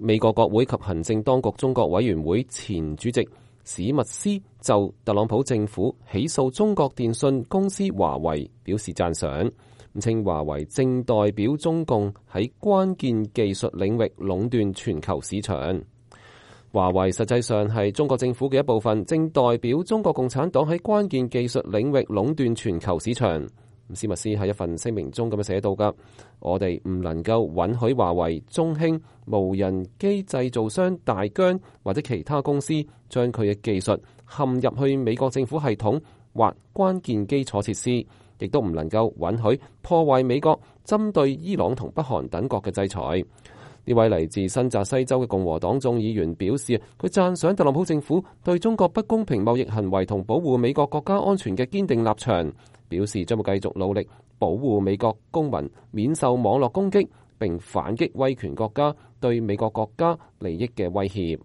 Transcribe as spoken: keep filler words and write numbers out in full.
美國國會及行政當局中國委員會前主席史密斯就特朗普政府起訴中國電信公司華為表示讚賞，稱華為正代表中共喺關鍵技術領域壟斷全球市場。華為實際上係中國政府嘅一部分，正代表中國共產黨喺關鍵技術領域壟斷全球市場。史密斯喺一份聲明中咁樣寫到㗎，我哋唔能夠允許華為、中興、無人機製造商大疆或者其他公司將佢嘅技術陷入去美國政府系統或關鍵基礎設施，亦都唔能夠允許破壞美國針對伊朗同北韓等國嘅制裁。呢位嚟自新澤西州嘅共和黨眾議員表示，佢讚賞特朗普政府對中國不公平貿易行為同保護美國國家安全嘅堅定立場，表示將會繼續努力保護美國公民免受網絡攻擊，並反擊威權國家對美國國家利益嘅威脅。